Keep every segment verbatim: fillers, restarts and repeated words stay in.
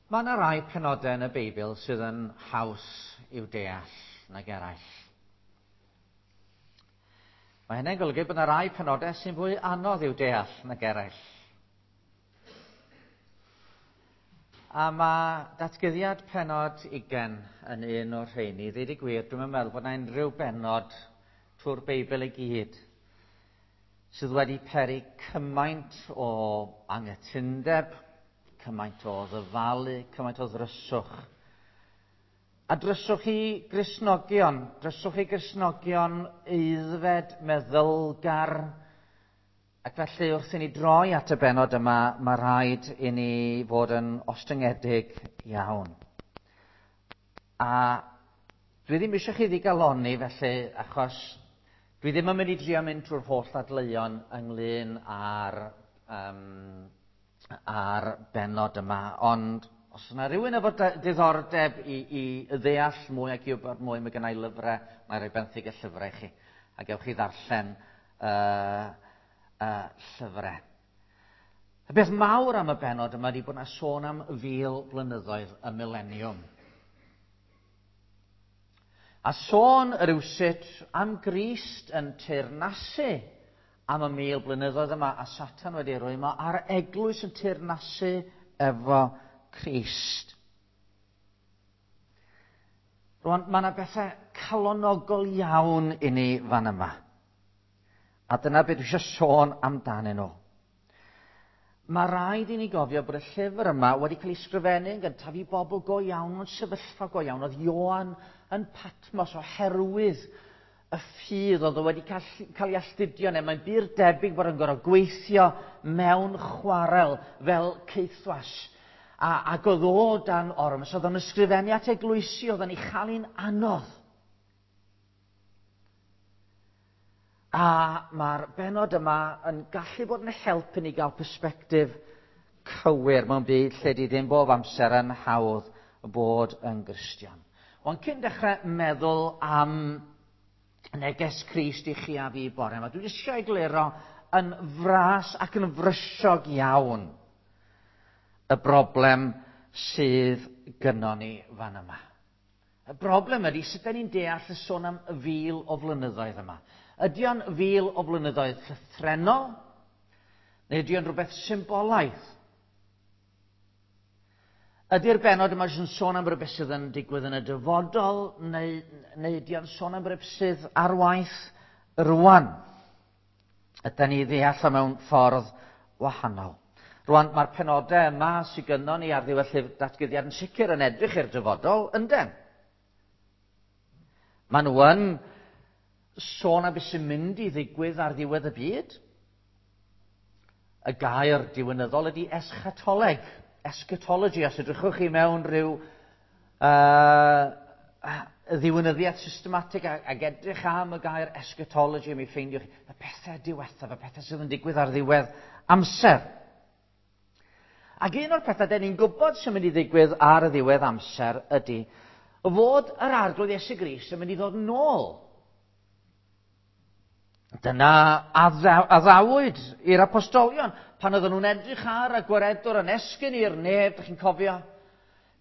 Mae yna rai penodau yn y Beibl sydd yn haws i'w deall nag eraill. Mae hynny'n golygu bod yna rai penodau sy'n fwy anodd i'w deall nag eraill. A mae datguddiad pennod ugain yn un o'r rheini. Ddeud y gwir, dwi'm yn meddwl bod yna unrhyw bennod trwy'r Beibl i gyd sydd wedi peri cymaint o anghytundeb, cymaint o ddyfalu, cymaint o ddryswch. A dryswch i Gristnogion, dryswch i Gristnogion aeddfed, meddylgar, ac felly wrth i ni droi at y bennod yma, mae rhaid i ni fod yn ostyngedig iawn. A dwi ddim eisiau chi ddigalonni felly, achos dwi ddim yn mynd i drio mynd trwy'r holl ddadleuon ynglyn â'r um, a'r bennod yma, ond os yna rhywun efo diddordeb i, i ddeall mwy ac i wybod mwy, mae gennai lyfrau, mae rhoi benthyg y llyfrau i chi, a gewch chi ddarllen uh, uh, llyfrau. Y beth mawr am y bennod yma ydy bod yna sôn am fil blynyddoedd y mileniwm. A sôn rywsut am Grist yn teyrnasu am y mil blynyddoedd yma, a Satan wedi rwymo, a'r eglwys yn teyrnasu efo Crist. Rwan, mae yna bethau calonogol iawn i ni fan yma. A dyna beth dwi eisiau sôn amdanyn nhw. Mae rhaid i ni gofio bod y llyfr yma wedi cael ei sgrifennu yn gyntaf i bobl go iawn, mewn sefyllfa go iawn. Oedd Ioan yn Patmos oherwydd y ffydd oedd o wedi cael, cael ei astudio neu mae'n bur debyg bod yn gorfod gweithio mewn chwarel fel caethwas. A, ac oedd o dan ormes, oedd o'n ysgrifennu at eglwysi, oedd o'n ei chael hi'n anodd. A mae'r bennod yma yn gallu bod yn help i ni gael persbectif cywir mewn byd lle di ddim bob amser yn hawdd bod yn Gristion. Ond cyn dechrau meddwl am neges Crist i chi a fi bore yma, dwi eisiau egluro yn fras ac yn frysiog iawn y broblem sydd gynnon ni fan yma. Y broblem ydy sut 'dan ni'n deall y sôn am fil o flynyddoedd yma. Ydy o'n fil o flynyddoedd llythrennol, neu ydy o'n rhywbeth symbolaidd? Ydy'r bennod yma jyst yn sôn am rywbeth sydd yn digwydd yn y dyfodol, neu, neu ydy o'n sôn am rywbeth sydd ar waith rwan? Ydy ni ddeall o mewn ffordd wahanol. Rwan, mae'r penodau yma sydd gynnon ni ar ddiwedd llyfr datguddiad yn sicr yn edrych i'r dyfodol, ynden? Maen nhw yn sôn am beth sy'n mynd i ddigwydd ar ddiwedd y byd. Y gair diwinyddol ydy eschatoleg, eschatology. Os edrychwch chi mewn rhyw uh, ddiwinyddiaeth systematig ac edrych am y gair eschatology, mi ffeindiwch chi y pethau diwethaf, y pethau sydd yn digwydd ar ddiwedd amser. Ac un o'r pethau den ni'n gwybod sy'n mynd i ddigwydd ar y ddiwedd amser ydy fod yr Arglwydd Iesu Grist yn mynd i ddod nôl. Dyna addawyd i'r apostolion pan oedden nhw'n edrych ar y gwaredwr yn esgyn i'r nef, dych chi'n cofio?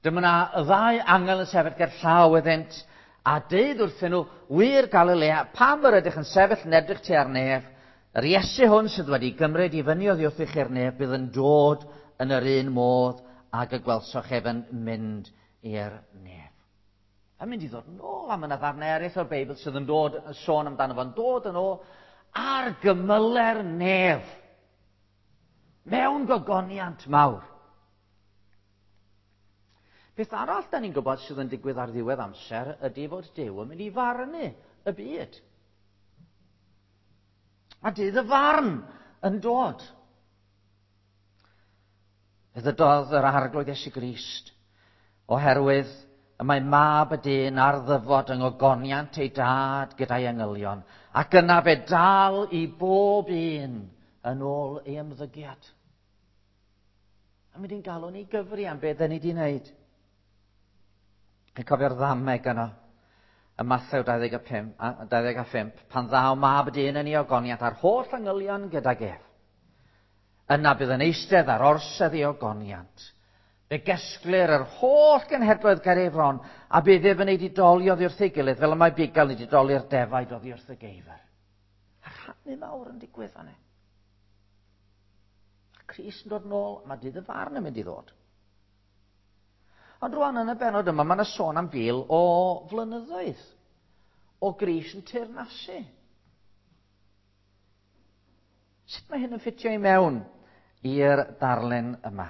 Dyma yna y ddau angel yn sefyll ger llaw iddynt a deud wrthyn nhw, wir Galilea, pam yr ydych yn sefyll yn edrych tua'r nef? Yr Iesu hwn sydd wedi gymryd i fyny oddi wrthych i'r nef bydd yn dod yn yr un modd ag y gwelsoch ef yn mynd i'r nef. Yn mynd i ddod yn ôl, a mae yna ddarnau eraill o'r Beibl sydd yn dod, yn sôn amdano fo'n dod yn ôl ar gymyle'r nef, mewn gogoniant mawr. Beth arall da ni'n gwybod sydd yn digwydd ar ddiwedd amser ydy fod Duw yn mynd i farnu y byd. A dydd y farn yn dod. Fe ddydodd yr Arglwydd Iesu Grist, oherwydd y mae mab y dyn ar ddyfod yng ngogoniant ei dad gyda'i angylion, ac yna fe dal i bob un yn ôl ei ymddygiad. A mynd i'n galw ni gyfri am beth ni wedi wneud. Chi'n cofio'r ddameg yno, ym Mathew dau ddeg a phump, pan ddaw mab y dyn yn ei ogoniant a'r holl angylion gydag ef. Yna bydd yn eistedd ar orsedd ei ogoniant. Fe gesglir yr holl genhedloedd ger ei fron, a bydd ef yn ei didoli oddi wrth ei gilydd, fel y mae bugail yn didoli'r defaid oddi wrth y geifr. A rhannu mawr yn digwydd fan hyn. Crist yn dod nôl, mae dydd y farn yn mynd i ddod. Ond rwan yn y benod yma, mae yna sôn am fil o flynyddoedd o Grist yn teyrnasu. Sut mae hyn yn ffitio i mewn i'r darlun yma?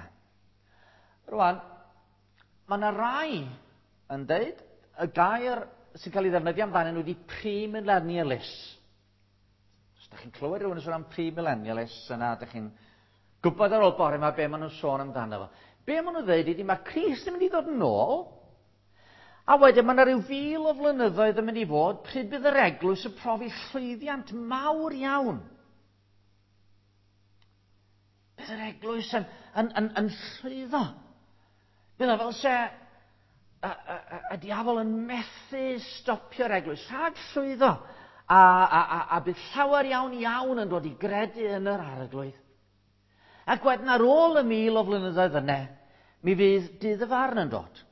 Rwan, mae yna rai yn deud y gair sy'n cael ei ddefnyddio amdanyn nhw wedi premillennialists. Os ydych chi'n clywed rhywun yn sôn am premillennialists, yna ydych chi'n gwybod ar ôl bore yma be maen nhw'n sôn amdano fo. Be maen nhw'n dweud ydy mae Crist yn mynd i ddod yn ôl, a wedyn mae yna rhyw fil o flynyddoedd yn mynd i fod pryd bydd yr eglwys yn profi llwyddiant mawr iawn. Bydd yr eglwys yn, yn, yn, yn llwyddo. Bydd o fel se y, y, y, y diafol yn methu stopio'r eglwys rhag llwyddo. A, a, a, a bydd llawer iawn iawn yn dod i gredu yn yr arglwydd. Ac wedyn ar ôl y mil o flynyddoedd yna, mi fydd dydd y farn yn dod.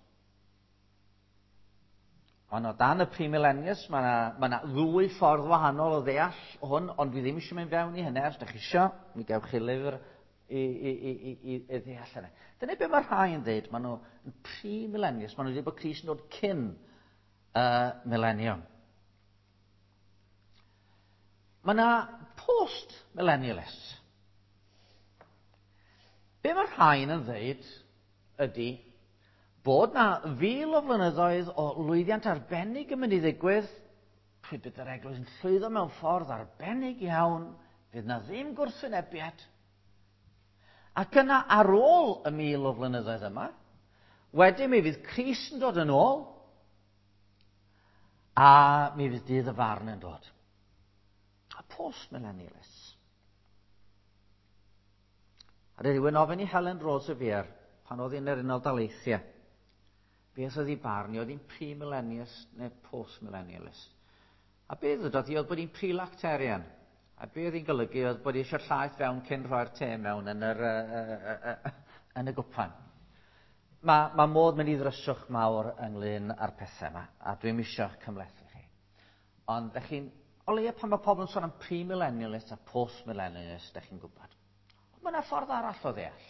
Ond o dan y premillennials, mae yna ma na ddwy ffordd wahanol o ddeall hwn, ond dwi ddim eisiau mynd fewn i hynny. Os ydych chi eisiau, mi gewch chi lyfr i, i, i, i, i, i ddeall hynny. Dyna be mae rhai yn dweud, maen nhw yn premillennials, maen nhw'n dweud bod Crist yn dod cyn y uh, millennium. Mae yna post-millennialists. Be mae rhain yn dweud ydy bod na fil o flynyddoedd o lwyddiant arbennig yn mynd i ddigwydd, pryd bydd yr eglwys yn llwyddo mewn ffordd arbennig iawn, fydd na ddim gwrthwynebiad. Ac yna ar ôl y mil o flynyddoedd yma, wedyn mi fydd Crist yn dod yn ôl, a mi fydd dydd y farn yn dod. A post-millennialists. A rhywun ofyn i Helen Roseveare, pan oedd hi'n yr Unol Daleithiau, beth oedd ei barn i, oedd hi'n pre-millennialist neu post-millennialist. A beth ddydodd hi oedd bod hi'n pre-lactarian. A beth oedd hi'n golygu oedd bod hi eisiau llaeth fewn cyn rhoi'r te mewn yn, yr, uh, uh, uh, yn y gwpan. Mae, mae modd mynd i ddryswch mawr ynglyn â'r pethau yma, a dwi'm eisiau cymhlethu chi. Ond ydych chi'n, o leia pan mae pobl yn sôn am pre-millennialist a post-millennialist, ydych chi'n gwybod. Mae yna ffordd arall o ddeall.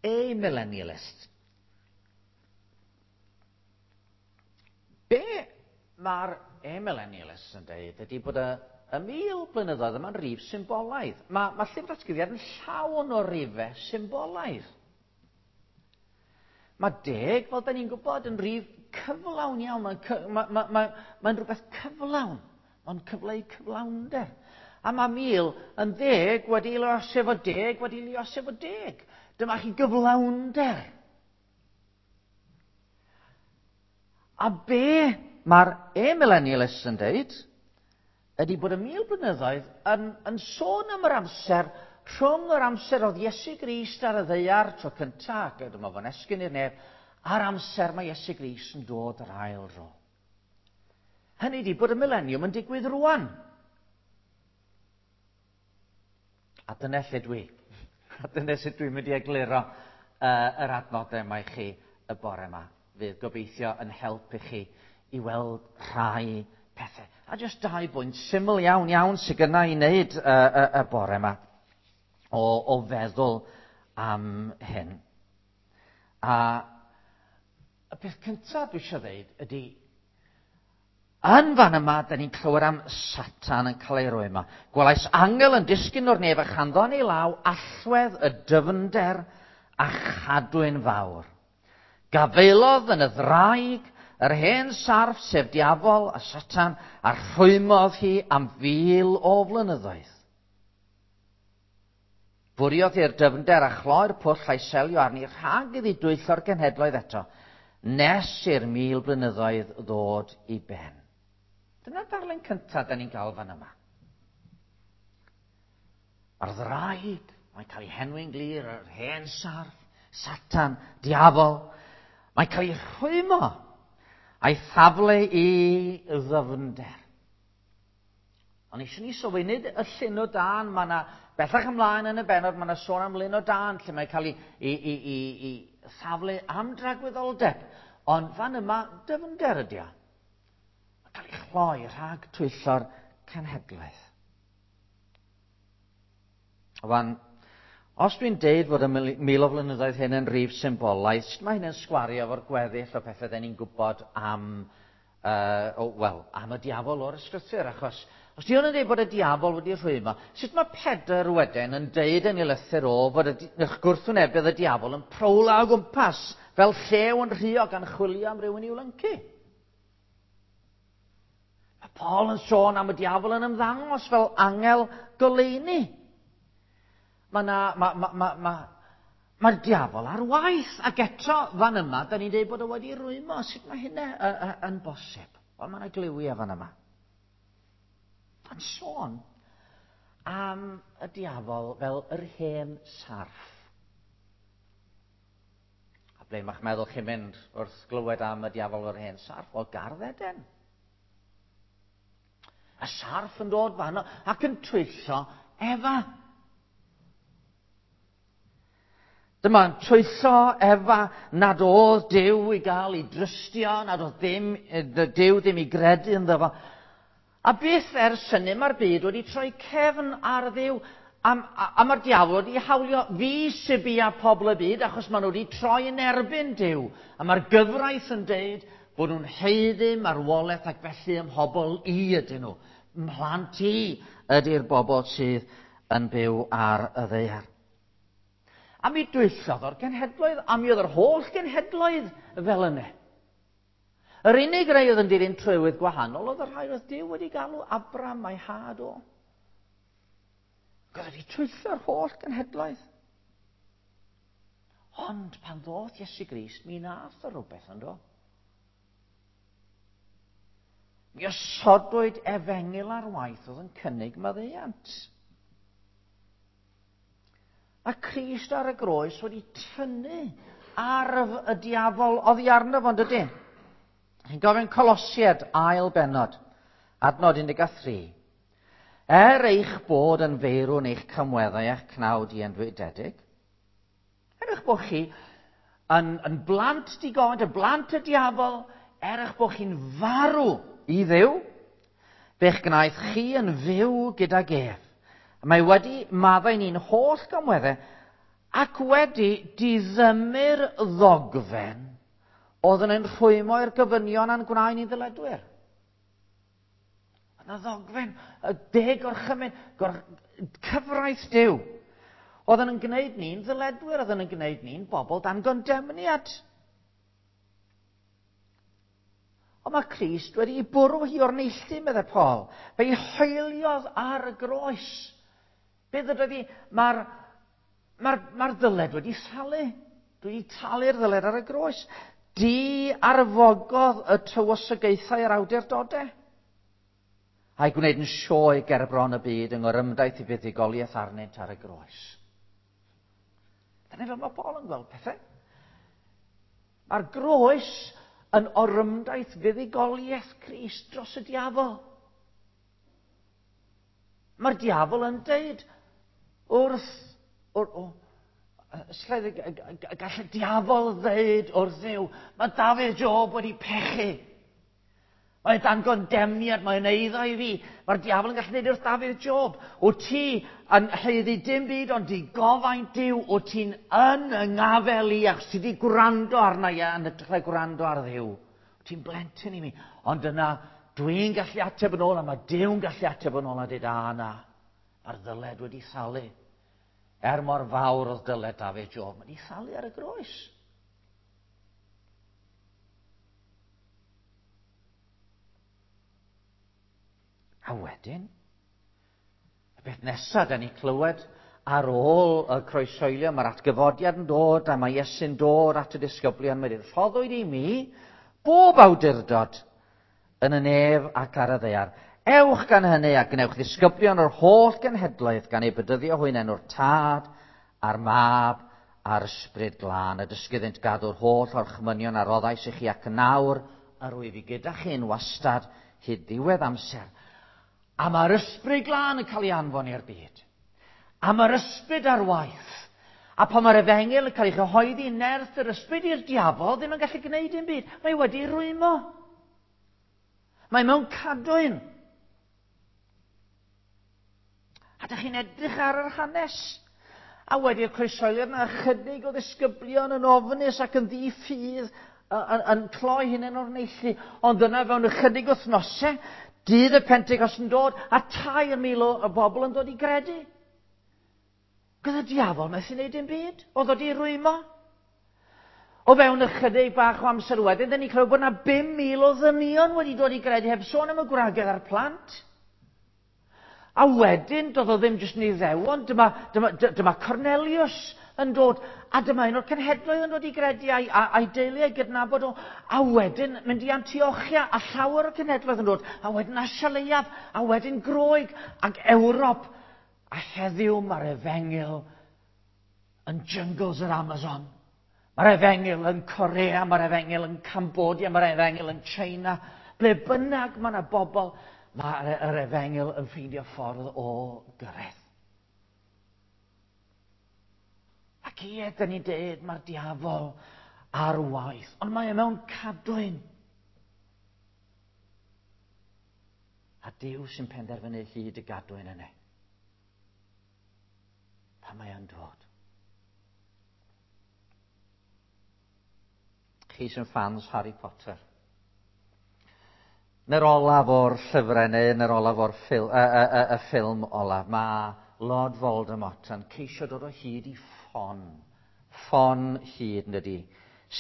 Amillennialist. Be mae'r amillennialists yn dweud ydy bod y, y mil blynyddoedd yma'n rif symbolaidd. Mae, mae llyfr datguddiad yn llawn o rifau symbolaidd. Mae deg, fel da ni'n gwybod, yn rif cyflawn iawn. Mae'n ma, ma, ma, ma rhywbeth cyflawn. Mae'n cyfleu cyflawnder. A mae mil yn ddeg wedi luosi efo deg wedi luosi efo deg. Dyma chi gyflawnder. A be mae'r amillennialists yn dweud ydy bod y mil blynyddoedd yn, yn sôn am yr amser rhwng yr amser oedd Iesu Grist ar y ddaear tro cyntaf, ac dyma fo'n esgyn i'r nef, a'r amser mae Iesu Grist yn dod yr ail dro. Hynny ydy bod y millennium yn digwydd rwan. A dyna lle dwi. A dyna sut dwi'n mynd i egluro uh, yr adnodau yma i chi y bore yma. Fydd gobeithio yn help i chi i weld rhai pethau. A jyst dau bwynt syml iawn iawn sydd gynna i wneud y, y, y bore yma o, o feddwl am hyn. A y peth cyntaf dwi eisiau dweud ydy, yn fan yma, da ni'n clywed am Satan yn cael ei roi yma. Gwelais angel yn disgyn o'r nef a chanddo yn ei law allwedd y dyfnder a chadwyn fawr. Gafaelodd yn y ddraig yr hen sarff, sef diafol a Satan, a rhwymodd hi am fil o flynyddoedd. Bwriodd hi'r dyfnder a chloi'r pwll a'i selio arni rhag iddi dwyllo'r genhedloedd eto, nes i'r mil blynyddoedd ddod i ben. Dyna'r darlun cyntaf da ni'n gael fan yma. Mae'r ddraig, mae'n cael ei henwi'n glir, yr hen sarff, Satan, diafol. Mae'n cael ei rhwymo a'i thaflu i ddyfnder. Ond eisiau ni sylwi, nid y llyn o dân, mae yna, bellach ymlaen yn y bennod, mae yna sôn am lyn o dân, lle mae'n cael ei, ei, ei, ei, ei safle am dragwyddoldeb. Ond fan yma, dyfnder ydi o. Mae'n cael ei chloi rhag twyllo'r cenhedlaeth. Wan, os dwi'n deud fod y mil o flynyddoedd hyn yn rif symbolaidd, sut mae hyn yn sgwario efo'r gweddill o pethau den ni'n gwybod am, uh, oh, well, am y diafol o'r ysgrythur, achos os di hwn yn dweud bod y diafol wedi rhwymo, sut mae Pedr wedyn yn deud yn ei lythyr o fod y gwrthwynebydd y diafol yn prowla o gwmpas fel llew yn rhuo gan chwilio am rywun i'w lyncu? Mae Paul yn sôn am y diafol yn ymddangos fel angel goleuni. Mae na, ma, ma, ma, ma, mae'r diafol ar waith, ac eto fan yma, da ni'n dweud bod o wedi rwymo. Sut mae hynna yn bosib? Wel, mae yna gliwiau fan yma. Mae'n sôn am y diafol fel yr hen sarff. A ble mae'ch meddwl chi'n mynd wrth glywed am y diafol fel yr hen sarff? Wel, Gardd Eden. Y sarff yn dod fan ac yn twyllo Efa. Dyma'n twyllo Efa nad oedd Duw i gael ei drystio, nad oedd ddim, Duw ddim i gredu ynddo fo. A byth ers hynny mae'r byd wedi troi cefn ar Dduw. A, a, a mae'r diafol wedi hawlio fi sy bia pobl y byd achos maen nhw wedi troi yn erbyn Duw. A mae'r gyfraith yn deud bod nhw'n haeddu marwolaeth ac felly ym mhobl i ydyn nhw. Mhlant i ydy'r bobl sydd yn byw ar y ddaear. A mi dwyllodd o'r genhedloedd, a mi oedd yr holl genhedloedd fel yna. Yr unig rai oedd yn dilyn trywydd gwahanol oedd y rhai oedd Duw wedi galw Abram a'i had o. Ac oedd wedi twyllo'r holl genhedloedd. Ond pan ddoth Iesu Grist, mi nath o rhywbeth yn do. Mi osodwyd efengyl ar waith oedd yn cynnig maddeuant. A Crist ar y groes wedi tynnu arf y diafol oddi arno fo, dydy? Chi'n gofyn Colosiaid ail bennod, adnod un deg tri. Er eich bod yn feirw yn eich camweddau a'ch cnawd ienfwydedig, er eich bod chi yn, yn blant digon, yn blant y diafol, er eich bod chi'n farw i Dduw, fe'ch gwnaeth chi yn fyw gydag ef. Mae wedi maddau ni'n holl gamweddau ac wedi diddymu'r ddogfen oedd yn ein rhwymo i'r gofynion a'n gwnaed ni'n ddyledwyr. Yna ddogfen, y deg orchymyn, gor, cyfraith Duw. Oedd yn gwneud ni'n ddyledwyr, oedd yn gwneud ni'n bobl dan gondemniad. Ond mae Crist wedi ei bwrw hi o'r neilltu, meddai Paul. Fe'i hoeliodd ar y groes. Be ddydodd hi? Mae'r mae'r, mae'r ddyled wedi thalu. Dwi wedi talu'r ddyled ar y groes. Di arfogodd y tywysogaethau a'r awdurdodau. A'i gwneud yn sioe ger bron y byd yng ngorymdaith i fuddugoliaeth arnynt ar y groes. Dyna fel mae Paul yn gweld pethau. Mae'r groes yn orymdaith fuddugoliaeth Crist dros y diafol. Mae'r diafol yn deud wrth... wrth o, gall y diafol ddeud wrth Dduw, mae Dafydd Job wedi pechu. Mae'n dan gondemniad, mae'n eiddo i fi. Mae'r diafol yn gallu dweud wrth Dafydd Job, o ti yn haeddu dim byd ond di gofaint Duw, o ti'n yn yngafel i achos ti di gwrando arna i yn hytrach na gwrando ar Dduw. O ti'n blentyn i mi. Ond yna, dwi'n gallu ateb yn ôl a mae Duw'n gallu ateb yn ôl a dweud, a na, mae'r ddyled wedi thalu. Er mor fawr oedd dyled Dafydd Job, mae wedi thalu ar y groes. A wedyn, y beth nesaf da ni clywed ar ôl y croeshoelio, mae'r atgyfodiad yn dod a mae Iesu'n dod at y disgyblion, mae wedi rhoddwyd i mi bob awdurdod yn y nef ac ar y ddaear. Ewch gan hynny a gwnewch ddisgyblion o'r holl genhedloedd gan eu bedyddio hwy'n enw'r Tad a'r Mab a'r Ysbryd Glân, a dysgu iddynt gadw'r holl orchmynion a roddais i chi ac nawr yr wyf i gyda chi'n wastad hyd ddiwedd amser. A mae'r Ysbryd Glân yn cael ei anfon i'r byd. A mae'r ysbryd ar waith. A pan mae'r efengyl yn cael ei chyhoeddi nerth yr ysbryd i'r diafol, ddim yn gallu gwneud dim byd. Mae wedi rwymo. Mae mewn cadwyn. A dych chi'n edrych ar yr hanes. A wedi'r croeshoeliad yna ychydig o ddisgyblion yn ofnus ac yn ddi-ffydd yn, yn cloi hunain o'r neilltu. Ond yna fewn ychydig wythnosau, dydd y Pentecost yn dod, a tair mil o bobl yn dod i gredu. Gyda diafol methu wneud dim byd, oedd o di rwymo. O fewn ychydig bach o amser wedyn, dyn ni'n clywed bod yna bum mil o ddynion wedi dod i gredu, heb sôn am y gwragedd a'r plant. A wedyn, doedd o ddim jyst yn Iddewon, dyma, dyma, dyma Cornelius yn dod, a dyma un o'r cenhedloedd yn dod i gredu a'i, a'i deulu a'i gydnabod o, a wedyn mynd i Antiochia, a llawer o'r cenhedloedd yn dod, a wedyn Asia Leiaf, a wedyn Groeg, ac Ewrop. A heddiw mae'r efengyl yn jungles yr Amazon. Mae'r efengyl yn Corea, mae'r efengyl yn Cambodia, mae'r efengyl yn China. Ble bynnag mae yna bobl, mae'r efengyl yn ffeindio ffordd o gyrraedd. Ac ie, dyn ni'n dweud, mae'r diafol ar waith, ond mae e mewn cadwyn. A Duw sy'n penderfynu hyd y gadwyn yna. Pan mae o'n dod. Chi sy'n fans Harry Potter. Yn yr olaf o'r llyfrau neu yn yr olaf o'r ffil, y, y, y, y ffilm olaf, mae Lord Voldemort yn ceisio dod o hyd i ffon. Ffon hyd, ydy,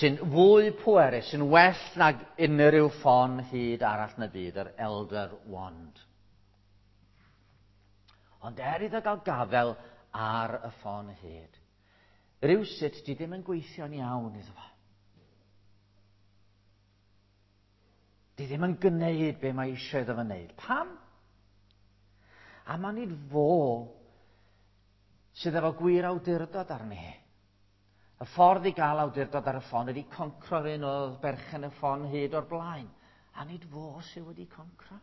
sy'n fwy pwerus, sy'n well nag unrhyw ffon hyd arall yn y byd, yr Elder Wand. Ond er iddo gael gafel ar y ffon hyd, rywsut di ddim yn gweithio'n iawn iddo fo. Di ddim yn gwneud be mae eisiau iddo fo wneud. Pam? A mae nid fo sydd efo gwir awdurdod arni. Y ffordd i gael awdurdod ar y ffon ydy concro'r un oedd berchen y ffon hyd o'r blaen. A nid fo sydd wedi concro.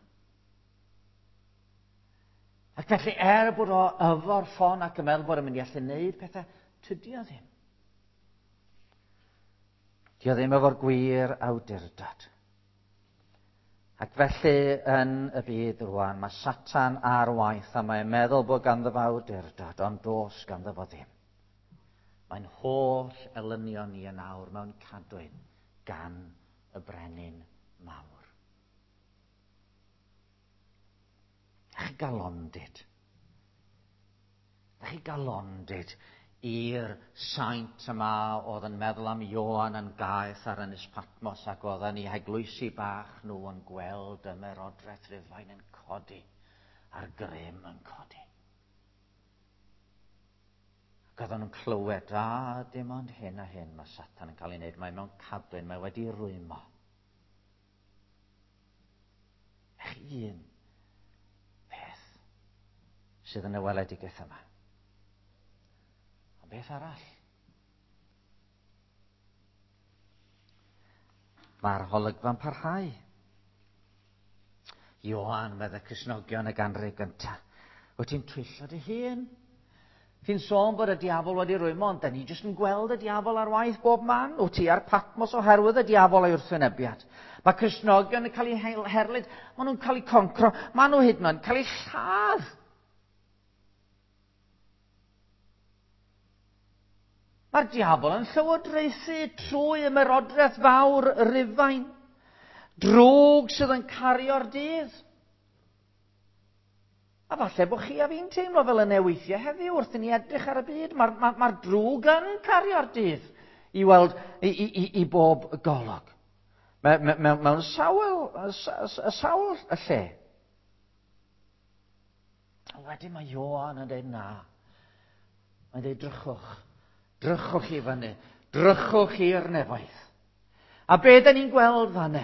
Ac felly er bod o efo'r ffon ac yn meddwl bod o'n mynd i allu wneud pethau, tydi o ddim. Di o ddim efo'r gwir awdurdod. Ac felly yn y byd rwan, mae Satan ar waith a mae'n meddwl bod ganddo fo awdurdod, ond does ganddo fo ddim. Mae'n holl elynion ni yn awr mewn cadwyn gan y brenin mawr. A chi galondid. A chi galondid i'r saint yma oedd yn meddwl am Ioan yn gaeth ar Ynys Patmos ac oedd yn ei heglwysi bach nhw yn gweld ymerodraeth Rufain yn codi a'r grym yn codi. Ac oedden nhw'n clywed, a dim ond hyn a hyn mae Satan yn cael ei wneud, mae mewn cadwyn, mae wedi rwymo. Ech un peth sydd yn y weledigaeth yma. Beth arall? Mae'r holygfa'n parhau. Ioan, medde Cristnogion y ganrif gyntaf. Wyt ti'n twyllo dy hun? Ti'n sôn bod y diafol wedi rwymo, ond da ni jyst yn gweld y diafol ar waith bob man. Wyt ti ar Patmos oherwydd y diafol a'i wrthwynebiad. Mae Cristnogion yn cael eu herlid, maen nhw'n cael eu concro, maen nhw hyd yn oed yn cael eu lladd. Mae'r diafol yn llywodraethu trwy ymerodraeth fawr Rufain. Drwg sydd yn cario'r dydd. A falle bod chi a fi'n teimlo fel yna weithiau heddiw wrth i ni edrych ar y byd. Mae'r ma, ma drwg yn cario'r dydd i weld i, i, i, i bob golwg. Mewn, mewn, mewn sawl, sawl y lle. A wedyn mae Ioan yn dweud na. Mae'n dweud drychwch. Drychwch i fyny, drychwch i'r nefoedd. A be da ni'n gweld fanne?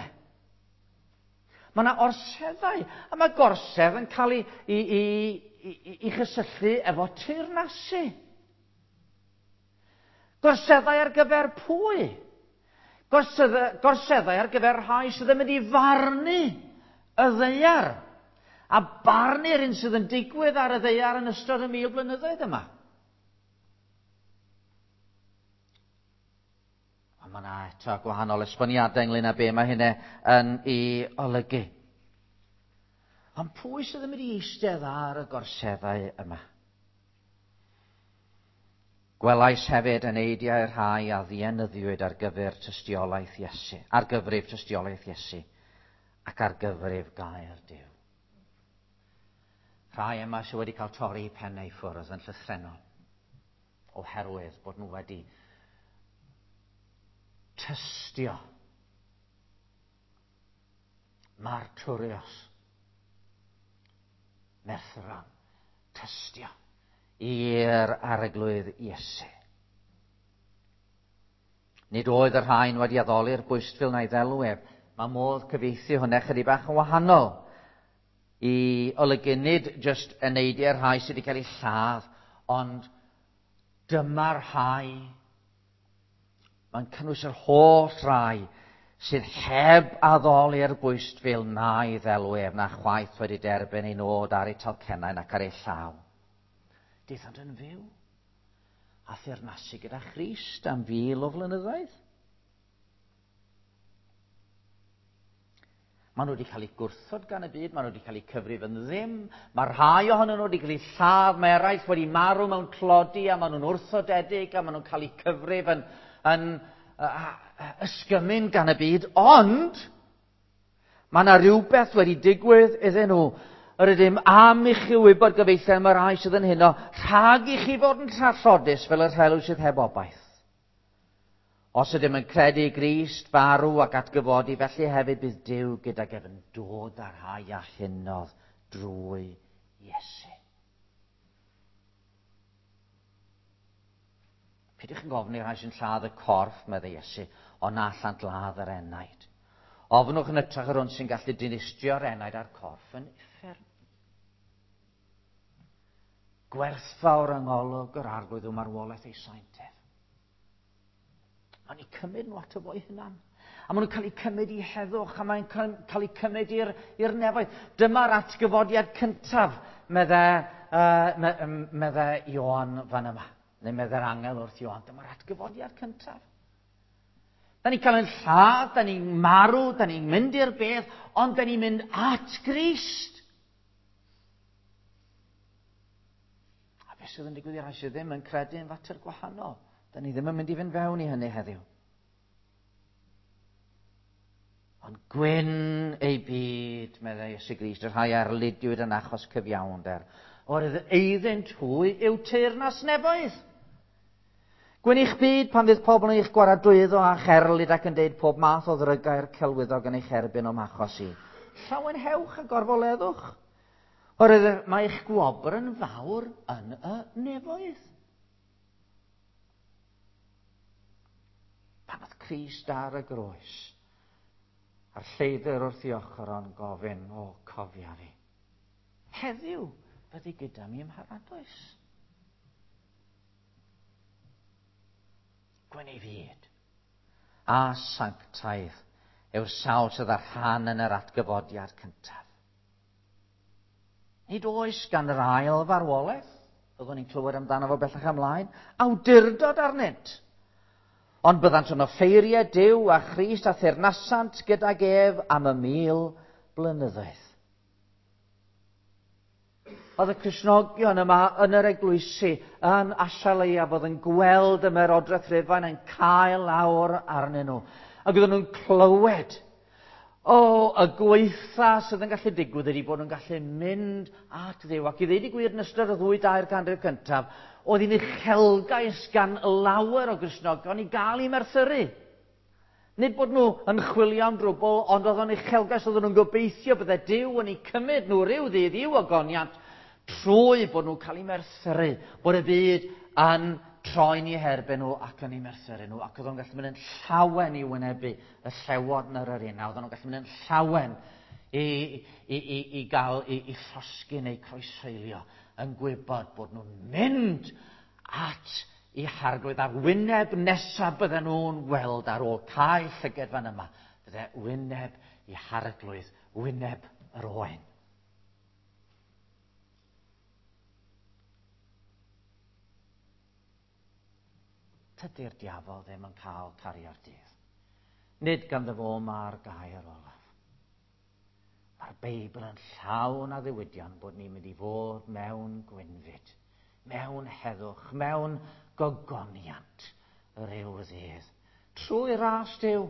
Mae yna orseddau, a mae gorsedd yn cael ei, ei, ei, ei, ei chysylltu efo teyrnasu. Gorseddau ar gyfer pwy? Gorseddau, gorseddau ar gyfer rhai sydd yn mynd i farnu y ddaear. A barnu'r un sydd yn digwydd ar y ddaear yn ystod y mil blynyddoedd yma. Ond mae yna eto gwahanol esboniadau ynglyn â be mae hynny yn ei olygu. Ond pwy sydd yn mynd i eistedd ar y gorseddau yma? Gwelais hefyd eneidiau'r rhai a ddienyddiwyd ar gyfer tystiolaeth Iesu, ar gyfrif tystiolaeth Iesu, ac ar gyfrif gair Duw. Rhai yma sydd wedi cael torri pennau i ffwrdd yn llythrennol, oherwydd bod nhw wedi tystio martyrios, merthyron, tystio i'r Arglwydd Iesu. Nid oedd y rhain wedi addoli'r bwystfil na'i ddelw ef. Mae modd cyfieithu hwnna chydig bach yn wahanol i olygu nid jyst eneidiau'r rhai sydd wedi cael eu lladd, ond dyma'r rhai. Mae'n cynnwys yr holl rai sydd heb addoli'r bwystfil na'i ddelw ef, na chwaith wedi derbyn ei nod ar eu talcennau nac ar eu llaw. Daethant yn fyw a theyrnasu gyda Christ am fil o flynyddoedd. Maen nhw wedi cael eu gwrthod gan y byd, maen nhw wedi cael eu cyfrif yn ddim, mae rhai ohonyn nhw wedi cael eu lladd, mae eraill wedi marw mewn tlodi a maen nhw'n wrthodedig a maen nhw'n cael eu cyfrif yn, yn uh, ysgymyn gan y byd, ond mae yna rhywbeth wedi digwydd iddyn nhw. Yr ydym am i chi wybod, gyfeillion, mae'r rhai sydd yn heno, rhag i chi fod yn trallodus fel y rhelw sydd heb obaith. Os ydym yn credu i Grist farw ac atgyfodi, felly hefyd bydd Duw gydag ef yn dod â'r rhai a hunodd drwy Iesu. Peidiwch yn gofyn i'r rhai sy'n lladd y corff, meddai Iesu, ond na allant ladd yr enaid. Ofnwch yn hytrach yr hwn sy'n gallu dinistrio'r enaid a'r corff yn uffern. Gwerthfawr yng ngolwg yr Arglwydd yw marwolaeth ei saint ef. Mae'n eu cymryd nhw ato fo'i hunan. A maen nhw'n cael eu cymryd i heddwch, a mae'n cael eu cymryd i'r, i'r nefoedd. Dyma'r atgyfodiad cyntaf, medde, uh, me, medde Ioan fan yma. Neu medde'r angel wrth Ioan. Dyma'r atgyfodiad cyntaf. Da ni'n cael ein lladd, da ni'n marw, da ni'n mynd i'r bedd, ond da ni'n mynd at Grist. A beth sydd yn digwydd i'r rhai sydd ddim yn credu yn fater gwahanol. Da ni ddim yn mynd i fynd fewn i hynny heddiw. Ond gwyn ei byd, meddai Iesu Grist, y rhai erlidiwyd yn achos cyfiawnder. Oherwydd eiddynt hwy yw teyrnas nefoedd. Gwyn eich byd pan fydd pobl yn eich gwaradwyddo a cherlid ac yn deud pob math o ddrygau'r celwyddog yn eich erbyn o'm achos i. Llawenhewch a gorfoleddwch. Oherwydd mae eich gwobr yn fawr yn y nefoedd. Pan oedd Crist ar y groes, a'r lleidr wrth ei ochr o'n gofyn, o, cofia fi. Heddiw, fyddi gyda mi ym mharadwys. Gwyn ei fyd. A sanctaidd yw'r sawl sydd â rhan yn yr atgyfodiad cyntaf. Nid oes gan yr ail farwolaeth, byddwn ni'n clywed amdano fo bellach ymlaen, awdurdod arnynt. Ond byddant yn offeiriau Duw a Christ a theyrnasant gydag ef am y mil blynyddoedd. Oedd y Cristnogion yma yn yr eglwysi yn Asia Leiaf oedd yn gweld y Ymerodraeth Rufain yn cael lawr arnyn nhw. Ac oedden nhw'n clywed, o, y gwaetha sydd yn gallu digwydd ydy bod nhw'n gallu mynd at Dduw. Ac i ddeud y gwir yn ystod y ddwy dair ganrif cyntaf, oedd hi'n uchelgais gan lawer o Gristnogion i gael eu merthyru. Nid bod nhw yn chwilio am drwbl, ond oedd o'n uchelgais, oedden nhw'n gobeithio bydde Duw yn eu cymryd nhw ryw ddydd i'w ogoniant trwy bod nhw'n cael eu merthyru, bod y byd yn troi'n eu herbyn nhw ac yn eu merthyru nhw, ac oedden nhw'n gallu mynd yn llawen i wynebu y llewod yn yr arena, oedden nhw'n gallu mynd yn llawen i, i, i, i gael i, i llosgi neu croeshoelio, yn gwybod bod nhw'n mynd at i Harglwydd a'r wyneb nesaf bydden nhw'n weld ar ôl cael llyged fan yma, bydde wyneb i Harglwydd, wyneb yr oen. Tydi'r diafol ddim yn cael cario'r dydd. Nid ganddo fo mae'r gair olaf. Mae'r Beibl yn llawn addewidion bod ni'n mynd i fod mewn gwynfyd, mewn heddwch, mewn gogoniant ryw ddydd. Trwy ras Duw,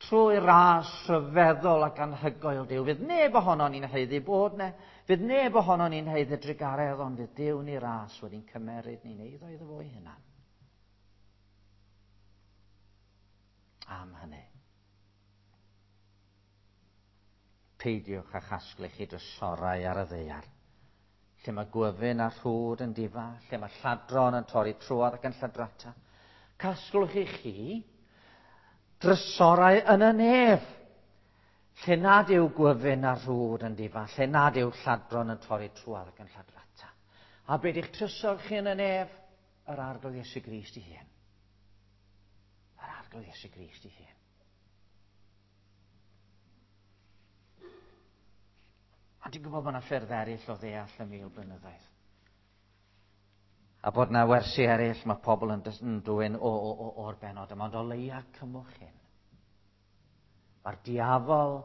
trwy ras rhyfeddol ac anhygoel Duw. Fydd neb ohono ni'n haeddu bod 'ne, fydd neb ohono ni'n haeddu drugaredd, ond fydd Duw ni ras wedi'n cymeryd ni'n eiddo iddo fo'i hunan. Am hynny, peidiwch â chasglu chi drysorau ar y ddaear, lle mae gwyfyn a rhwd yn difa, lle mae lladron yn torri trwodd ac yn lladrata. Casglwch i chi drysorau yn y nef, lle nad yw gwyfyn a rhwd yn difa, lle nad yw lladron yn torri trwodd ac yn lladrata. A be di'ch trysor chi yn y nef? Yr Arglwydd Iesu Grist ei hun. Yr Arglwydd Iesu Grist ei hun. Ond dwi'n gwybod bod yna ffyrdd eraill o ddeall y mil blynyddoedd. A bod yna wersi eraill mae pobl yn dwyn o, o, o, o'r benod yma, ond o leia cymwch hyn. Mae'r diafol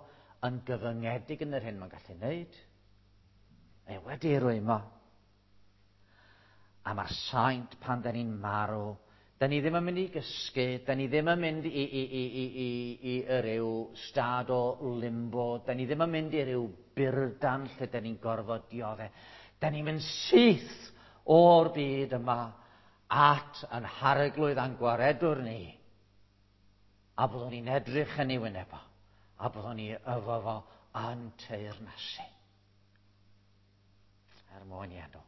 yn gyfyngedig yn yr hyn mae'n gallu wneud. Mae wedi ei rwymo. A mae'r saint pan da ni'n marw, da ni ddim yn mynd i gysgu, da ni ddim yn mynd i, i, i, i, i, i, i ryw stad o limbo, da ni ddim yn mynd i ryw burdan lle da ni'n gorfod dioddef. Da ni'n mynd syth o'r byd yma at yn harglwydd a'n gwaredwr ni. A byddwn ni'n edrych yn ei wyneb o, a byddwn ni efo fo yn teyrnasu. Er mwyn i enw.